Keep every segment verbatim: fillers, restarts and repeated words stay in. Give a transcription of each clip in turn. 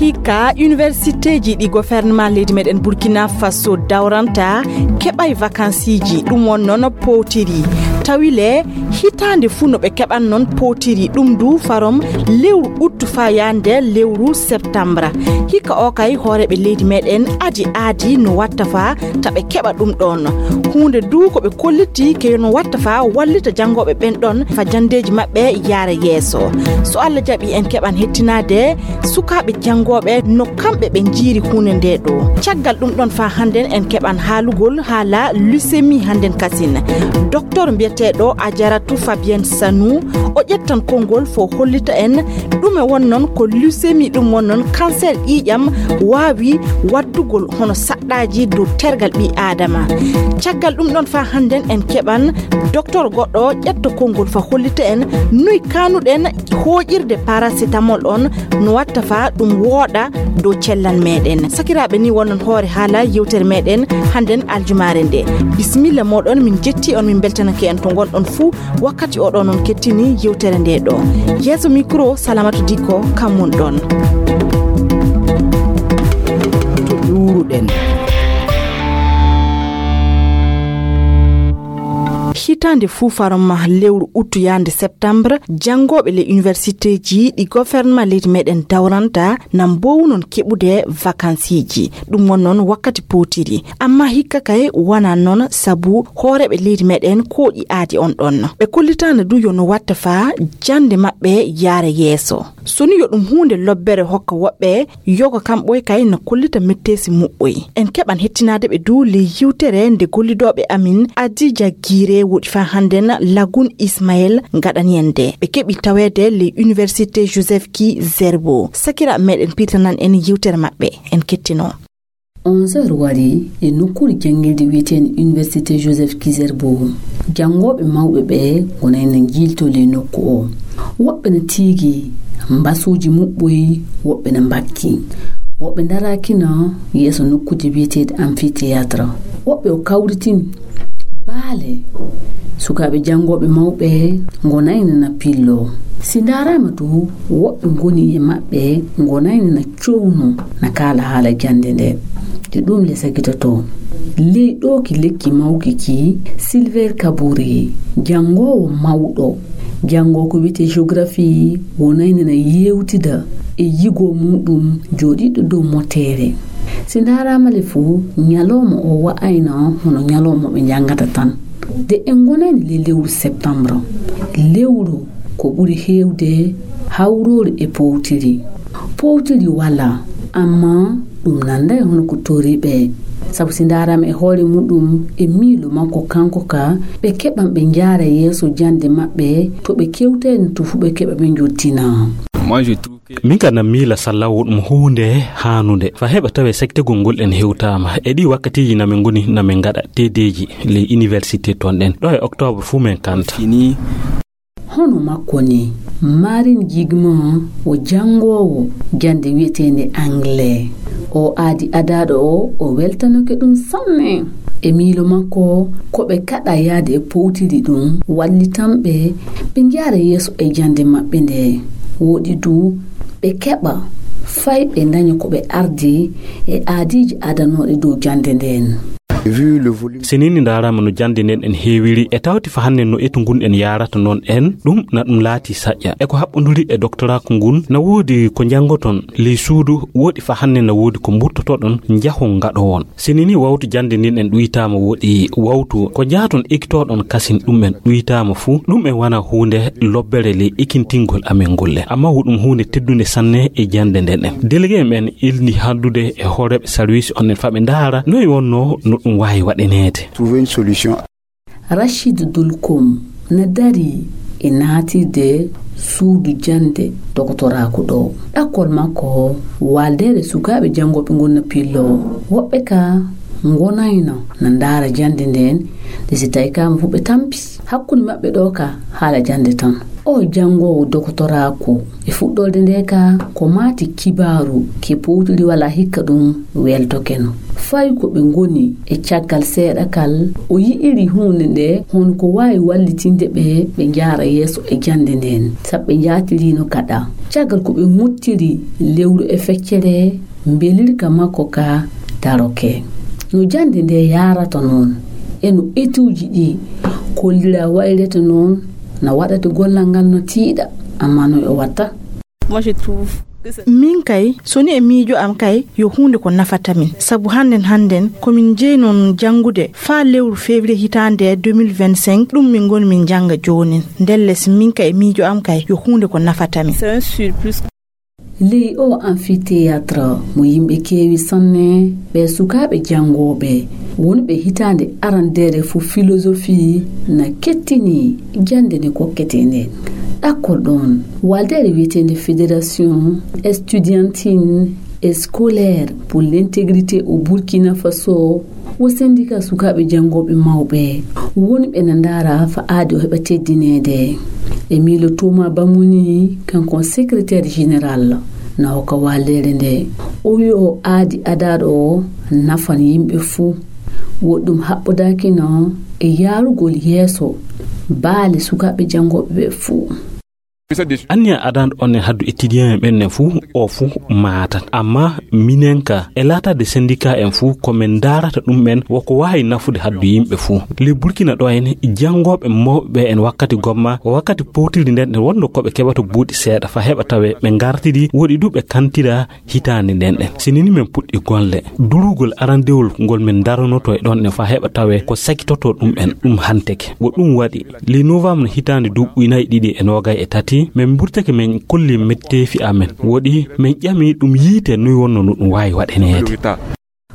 Hikka universitéji ɗi gouvernement leydi meɗen Burkina Faso dawranta keɓay vacanceji, ɗum won noon powtiri. Tawi le hitaande fuu no ɓe keɓan noon powtiri, ɗum du farom lewru ut faa yaande lewru septembre. Hikka o kay hooreeɓe leydi meɗen adi aadi no watta faa ta ɓe keɓa ɗum ɗoon. Huunde du ko ɓe kolliti ke no watta faa wallita janngooɓe ɓen ɗoon faa janndeeji maɓɓe yaara yeeso. So Allah jaɓi en keɓan hettinaade sukaaɓe janngooɓe no kamɓe ɓe njiiri huunde nde ɗo. Caggal ɗum ɗoon faa hannden en keɓan haalugol haala leucémie hannden kasin. Docteur mbiyeteeɗo Ajaratu Fabienne Sanou, o ƴettan konngol fo hollita en ɗume won noon ko leucémie, ɗum won noon cancer ƴiiƴam waawi waddugol hono saɗɗaaji dow tergal ɓii aadama. Caggal ɗum ɗoon faa hannden en keɓan docteur goɗɗo ƴetto konngol fo hollita en noy kaanuɗen hooƴirde paracétamol on no watta faa ɗum wooɗa dow cellal meɗen. Sakiraaɓe, ni wonnon hoore haala yewtere meɗen hannden aljumaare nde. Bisimilla moɗon, min jetti on, min beltanake en to ngonɗon fuu. Wakkati o ɗo noon kettini yewtere nde ɗo. Yeeso micro, Salamatu Dikko, kam mon ɗon. To ƴuuruɗen. Hitaande fuu farom lewru ut yaande septembre, janngooɓe le universitéji ɗi gouvernement leydi meɗen dawranta na mboowu noon keɓude vacanceji. Ɗum won noon wakkati powtiri. Amma hikka kay wonaa noon, sabu hooreeɓe leydi meɗen kooƴi aadi on ɗon. Ɓe kollitaano du yo no watta faa jannde maɓɓe yaara yeeso. So ni yo ɗum huunde lobbere hokka woɓɓe, yoga kam ɓoy kay no kollita metteesi muɓɓoy. En keɓan hettinaade ɓe du ley yewtere nde gollidooɓe amin Adija Gire woɗi faa hannden Lagun Ismaël ngaɗani en nde. Ɓe keɓi taweede ley Université Joseph Ki Zerbo. Sakiraaɓe meɗen piitanan en yewtere maɓɓe. En kettino. Onze heures wari e nokkuure janngirde wiyeteende Université Joseph Kizerbo. Janngooɓe mawɓe ɓe ngonayno njiiltoo ley nokku o. Woɓɓe no tiigi mbasuuji muɓɓoy, woɓɓe no mbakki. Woɓɓe ndaraakino yeeso nokkuuje wiyeteeɗe amphithéâtre. Woɓɓe o kawritini baale. Sukaaɓe janngooɓe mawɓe ngonayno na pillo. Si ndaaraama du, woɓɓe ngoni e maɓɓe ngonayno na cowno na kaala haala jannde nde. Nde ɗum le sakitotoo. Ley ɗo ki lekki mawki ki, Silver Kaburi, janngoowo mawɗo, janngoo ko wiyetee géographie, wonayno na yeewtida e yigoo muuɗum jooɗiiɗo dow moteere. Si ndaaraama le fuu, ñalawma o wa'ayno hono ñalawma ɓe njanngata tan. Nde en ngonayno ley lewru septembre, lewru ko ɓuri heewde hawroore e powtiri. Powtiri walaa, amma ɗum nannday hono ko toriiɓe. Sabu si ndaaraama e hoore muɗum e miilo makko kanko ka, ɓe keɓan ɓe njaara yeeso jannde maɓɓe to ɓe kewtayno to fuu ɓe keɓa ɓe njottina. Moi, je trouve que min ka na miila sallawo ɗum huunde haanunde. Fa heɓa tawe sektegol ngol en hewtaama. E ɗi wakkatiiji na min ngoni na min ngaɗa teedeeji ley université ton ɗen. Ɗo e octobre fuu min kanta. Fini. Hono makko ni, Marin Jigma o janngoowo jannde wiyeteende anglais. O aadi adaaɗo o, o weltanake ɗum sanne. E miilo makko, ko ɓe kaɗa yaade e powtiri ɗum, wallitan ɓe, ɓe njaara yeeso e jannde maɓɓe nde. Wooɗi du, ɓe keɓa, fay ɓe ndaña ko ɓe ardi e aadiiji adanooɗi dow jannde nden. Si nii ni ndaaraama no jannde nden en heewiri, e tawti fa hannde no etu ngun en yaarata noon en, ɗum na ɗum laati saƴƴa. E ko haɓɓonduri e doktoraaku ngun, na woodi ko njanngoton ley suudu, woodi fa hannde na woodi ko mbuttotoɗon, njahon ngaɗowon. Si nii ni wawtu jannde nden en ɗuytaama, woodi wawtu ko njaaton ekitoɗon kasin ɗum en ɗuytaama fuu, ɗum en wana huunde lobbere ley ekintingol amen ngolle. Amma wo ɗum huunde teddunde sanne e jannde nden en. Délégué en ɓen ilni haaldude e hooreeɓe sarwiis on en fa ɓe ndaara noy wonno no ɗum waawi waɗaneede. Trouver une solution. Rachid Dulkum na darii e naatirde suudu jannde doktoraaku ɗo. Ɗakkol makko waaldeede sukaaɓe janngooɓe ngon na pillo. Woɓɓe ka ngonayno na ndaara jannde ndeen, nde si tawi kaama fof ɓe tampi hakkunde maɓɓe ɗo ka haala jannde tan. O janngoowo dokotoraaku e fuɗɗorde nde ka ko maati kibaaru ke powtiri wala hikka ɗum weltokeno. Fay ko ɓe ngoni e caggal seeɗa kal, o yi'iri huunde nde hono ko waawi wallitinde ɓe, ɓe njaara yeeso e jannde nden, sabu ɓe njaatirino kaɗa. Caggal ko ɓe ngottiri lewru e feccere, mbelirka makko ka daroke. No jannde nde yaarata noon, e no etuuji ɗi kollira wayrete noon, na waɗata gollal ngal no tiiɗa, amma no o watta. Min kay, so ni e miijo am kay, yo huunde ko nafata min. Sabu hannden, hannden, ko min jeyi noon janngude faa lewru février hitaande deux mille vingt-cinq, ɗum min ngoni min jannga joonin. Ndelle, si min kay e miijo am kay, yo huunde ko nafata min. Ley o amphithéâtre mo yimɓe keewi sanne, ɓe sukaaɓe janngooɓe wonɓe hitaande arandeere fof philosophie na kettini jannde nde kokketee nden. Ɗakkol ɗoon, waldeere wiyeteende Fédération Estudiantine et Scolaire pour l'Intégrité au Burkina Faso, wo senndikaa sukaaɓe janngooɓe mawɓe wonɓe na ndaara faa aadi o heɓa teddineede. E miilo Thomas Bamoni, kanko on secrétaire général, na hokka waldeere nde. O wi'i o aadi adaaɗo o nafan yimɓe fuu. Wo ɗum haɓɓodaakino e yaarugol yeeso baale sukaaɓe janngooɓe ɓe fuu. Anniya adanɗo on e haddu étudiant en ɓen ne fuu, o fuu maatat. Amma minen ka, e laataade syndicat en fuu, ko min ndaarata ɗum en, woko waawi nafude haddu yimɓe fuu. Le Burkina ɗo en, janngooɓe mawɓe ɓe en wakkati gomma, wakkati powtiri nden, nden wonno ko ɓe keɓata buuɗi seeɗa fa heɓa tawe ɓe ngartidi, woɗi du ɓe kantira hitaande nden ɗen. Si nini men puɗɗi golle, durugol arandewol ngol men daronoto e ɗon ɗen fa heɓa tawe ko sakitoto ɗum en, ɗum hanteke. Wo ɗum waɗi, le novembre hitaande duuɓi nayi ɗiɗi e noogay e tati, men mburtake men kolli metteefi amen. Woɗi men ƴami ɗum yiite noy wonno no ɗum waawi waɗaneede.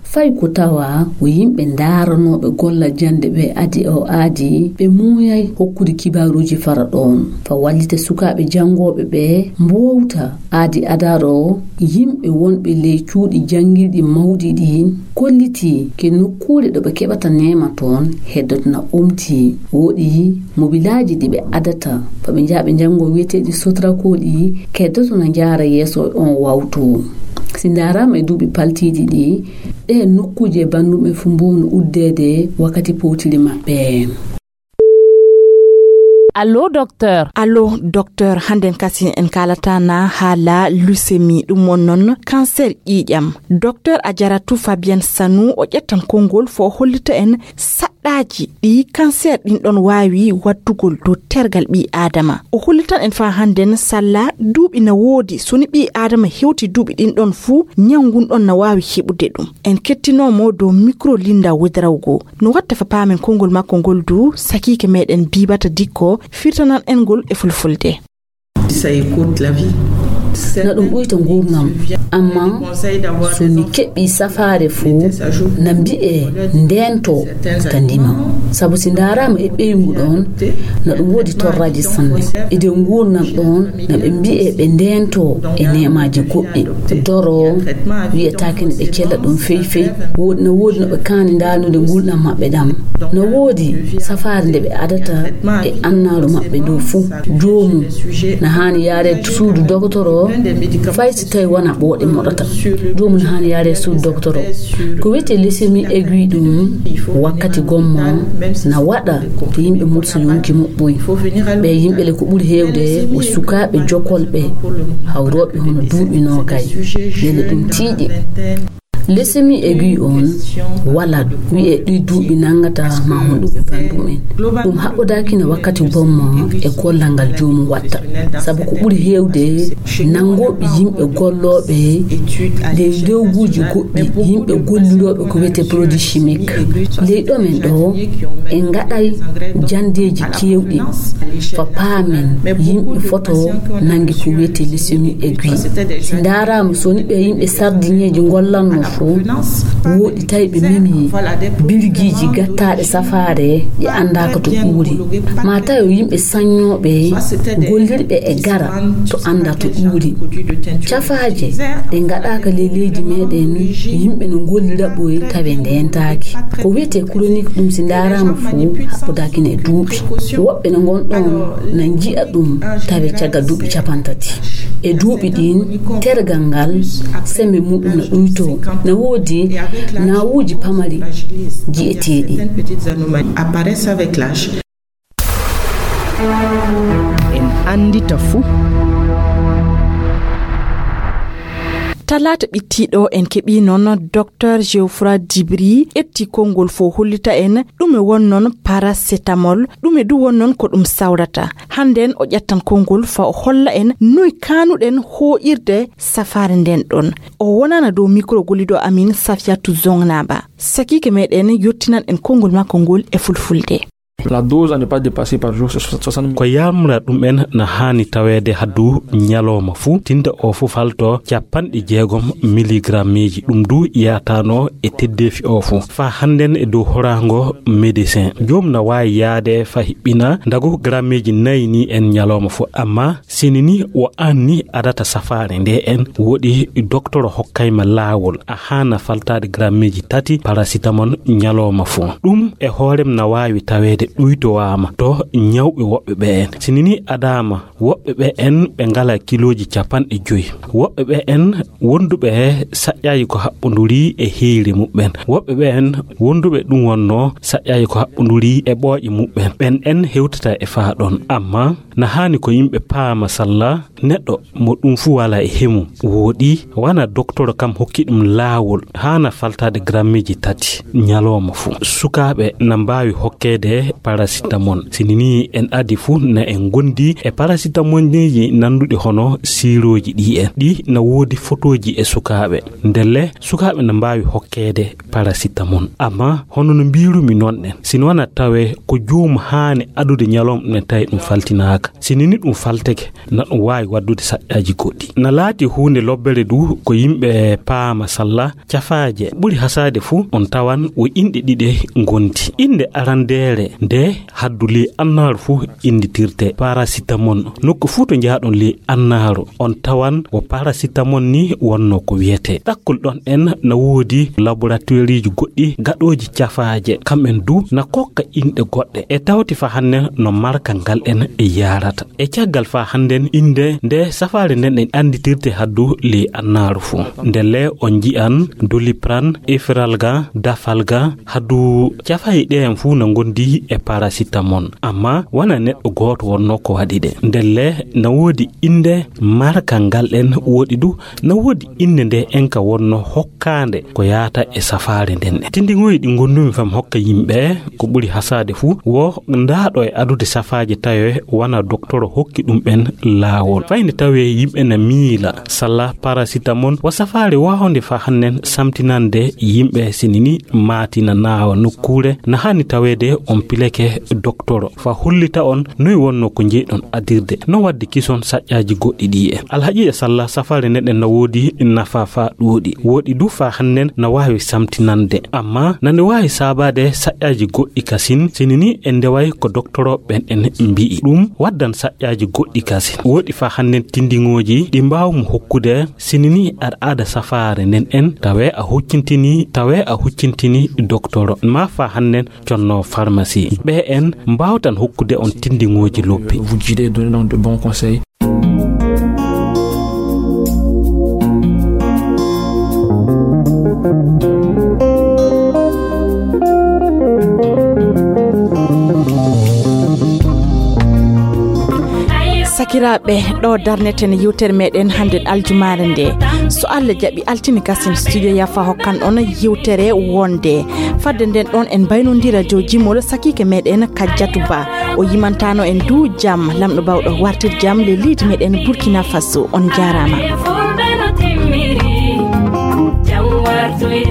Fay ko tawa ko yimɓe ndaaranooɓe golla jannde ɓe adi o aadi, ɓe muuyay hokkude kibaaruuji fara ɗoon. Fa wallita sukaaɓe janngooɓe ɓe mboowta aadi adaro, yimɓe wonɓe ley cuuɗi janngirɗi mawɗi ɗi kollitii ke nokkuure ɗo ɓe keɓata neema toon heddoto na omti. Woɗi mobilaaji ɗi ɓe adata fa ɓe njaha ɓe njanngo wiyeteeɗi Sotraco ɗi keddoto na njaara yeeso e on wawtu. Si ndaaraama e duuɓi paltiiɗi ɗi, ɗe nokkuuje e banndum e fuu mbowno uddeede wakkati powtiri maɓɓe. Allo, docteur. Allo, docteur. Hannden kasi en kaalata na haala leucémie, ɗum won noon cancer ƴiiƴam. Docteur Ajaratu Fabienne Sanou, o ƴettan konngol fo o hollita en saɗɗaaji ɗi cancer ɗin ɗon waawi waddugol dow tergal ɓii Aadama. O hollitan en faa hannden salla duuɓi na woodi so ni ɓii Aadama hewti duuɓi ɗin ɗon fuu, ñaw ngun ɗon na waawi heɓude ɗum. En kettinoo mo dow micro Linda Wedrawgo. No watta fa paamen konngol makko ngol du, sakiike meɗen Bibata Dikko firtanan en ngol e fulfulde. Na ɗum ɓuyta nguurndam, amma so mi keɓii safaare fuu, na mbi'ee ndeento ka ndima. Sabu si ndaaraama e ɓeyngu ɗoon, na ɗum woodi torraaji sanne. E nder nguurndam ɗoon, na ɓe mbi'ee ɓe ndeento e neemaaji goɗɗi. Doro wiyetaake ne ɓe cella ɗum fey fey. Woodi, na woodi no ɓe kaani ndaarnude nguurndam maɓɓe ɗam. Na woodi safaare nde ɓe adata e annaaru maɓɓe dow fuu. Joomum na haani yaare suudu dogotoro, fay si tawi wona ɓooɗe moɗata. Joomum na haani yaare suudu dogotoro. Ko wiyetee leucémie aiguë ɗum, wakkati gomma na waɗa to yimɓe mursa yonki muɓɓoy. Ɓe yimɓe le ko ɓuri heewde ko sukaaɓe jokolɓe, hawrooɓe hono duuɓi noogay. Ndelle ɗum tiiɗi. Leucémie aiguë on wala wiyee ɗi duuɓi nanngata ma honɗum e banndum en. Ɗum haɓɓodaaki no wakkati gomma e gollal ngal joomum watta. Sabu ko ɓuri heewde nanngooɓe yimɓe gollooɓe ley ndewguuji goɗɗi, yimɓe gollirooɓe ko wiyetee produit chimique. Ley ɗo men ɗo, en ngaɗay janndeeji keewɗi fa paamen yimɓe foto nanngi ko wiyetee leucémie aiguë. Si ndaaraama, so ni ɓe yimɓe sardiŋeeji ngollanno, Fof, wooɗi tawi ɓe memi birgiiji gattaaɗe safaare, ɗi anndaaka to ɓuuri. Ma tawi yimɓe saññooɓe, gollirɓe e gara to annda to ɓuuri. Cafaaje ɗe ngaɗaaka ley leydi meɗen, yimɓe no ngollira ɓoy tawi ndentaaki. Ko wiyetee chronique ɗum si ndaaraama fof, haɓɓodaaki ne duuɓi. Woɓɓe no ngon ɗon na nji'a ɗum tawi caggal duuɓi capantati. E duuɓi ɗin, tergal ngal, sembe muɗum na ɗuytoo. Na woodi nawuuji pamari ji'eteeɗi. Apparaissent avec l'âge. En anndita fuu. Talaata ɓittiiɗo en keɓii noon Docteur Geoffroy Dibry ƴetti konngol fof hollita en ɗume won noon paracétamol, ɗume du won noon ko ɗum sawrata. Hannden o ƴettan konngol fa o holla en noy kaanuɗen hooƴirde safaare nden ɗon. O wonana dow micro golliɗo amin Safiatou Zongnaba. Sakiike meɗen yottinan en konngol makko ngol e fulfulde. La dose à ne pas dépasser par jour, c'est soixante mille. Ko yamra ɗum en na haani taweede haddu ñalawma fuu, tinta o fuu falto capanɗe jeegom miligrammeeji. Ɗum du yaatano e teddeefi o fuu. Fa hannden e dow horaango médecin. Joom na waawi yaade fa hiɓɓina ndagu grammeeji nayi ni en ñalawma fuu. Amma sini ni o anni adata safaare nde en woɗi doktoro hokkayma laawol. A haana faltaade grammeeji tati paracétamol ñalawma fuu. Ɗum e hoorem na waawi taweede ɗuytowaama to ñawɓe woɓɓe ɓe en. Sini ni adaama woɓɓe ɓe en ɓe ngala kilooji capanɗe joyi. Woɓɓe ɓe en wonduɓe saƴƴaaji ko haɓɓonduri e heyre muɓɓen. Woɓɓe ɓe en wonduɓe ɗum wonno saƴƴaaji ko haɓɓonduri e ɓooƴe muɓɓen. Ɓen en hewtata e faa ɗon. Amma na haani ko yimɓe paama salla neɗɗo mo ɗum fuu wala e hemu. Wooɗi wana doktoro kam hokki ɗum laawol haana faltaade grammeeji tati ñalawma fuu. Sukaaɓe na mbaawi hokkeede paracétamol. Sini ni en adi fuu na en ngondi e paracétamolji nanduɗi hono siirooji ɗi en. Ɗi na woodi fotooji e sukaaɓe. Ndelle sukaaɓe na mbaawi hokkeede paracétamol. Amma hono no mbiirumi noon en, sini wana tawe ko joom haani adude ñalawma ɗum en tawi ɗum faltinaaka. Sini ni ɗum falteke, na ɗum waawi waddude saƴƴaaji goɗɗi. Na laati huunde lobbere du ko yimɓe paama salla cafaaje. Ɓuri hasaade fuu on tawan wo inɗe ɗiɗe ngondi. Innde arandeere nde haddu ley annaaru fuu innditirte paracétamol. Nokku fuu to njaaɗon ley annaaru on tawan wo paracétamol ni wonno ko wiyetee. Ɗakkol ɗon en na woodi laboratoriiji goɗɗi gaɗooji cafaaje. Kamɓen du na kokka inɗe goɗɗe. E tawti fa hannden no marka ngal en e yaarata. E caggal fa hannden innde nde safaare nden en annditirte haddu ley annaaru fuu. Ndelle on nji'an Doliprane, Efferalgan, Dafalgan, haddu cafaaje ɗe en fuu na ngondi e paracétamol. Amma wana neɗɗo gooto wonno ko waɗi ɗe. Ndelle na woodi innde marka ngal en woɗi du na woodi innde nde en ka wonno hokkaande ko yaata e safaare nden. Tindiŋoyi ɗi ngondumi fam hokka yimɓe ko ɓuri hasaade fuu wo ndaaɗo e adude safaaje tawe wana doktoro hokki ɗum ɓen laawol. Fayde tawe yimɓe na miila salla paracétamol wo safaare waawde fa hannden samtinande yimɓe sini ni maatina naawa nokkuure na haani taweede on pileke doktoro fa hollita on noy wonno ko njeyɗon adirde no wadde kison saƴƴaaji goɗɗi ɗi en. Alhaqiiqa salla safaare nden en na woodi nafa fa ɗuuɗi. Woɗi du fa hannden na waawi samtinande. Amma na nde waawi saabaade saƴƴaaji goɗɗi kasin, sini ni en ndeway ko doktoro ɓen en mbi'i. Ɗum waddan saƴƴaaji goɗɗi kasin. Woɗi fa hannden tindiŋooji ɗi mbaawmu hokkude, sini ni aɗa ada safaare nden en, tawe a huccintini, tawe a huccintini doktoro. Ma fa hannden conno pharmacie. Ɓe en mbaawtan hokkude on tindiŋooji lobbi. Vous guider, donner donc de bons conseils. Sakiraaɓe, ɗo darneten yewtere meɗen hannden aljumaare nde. So Allah jaɓi, altine kasen studio yafa hokkan on yewtere wonde. Fadde nden ɗon en mbaynondira jow jimol sakiike meɗen Kajjatu Ba. O yimantano en du jam, lamɗo bawɗo wartir jam le leydi meɗen Burkina Faso. On jaaraama. Jam wartu e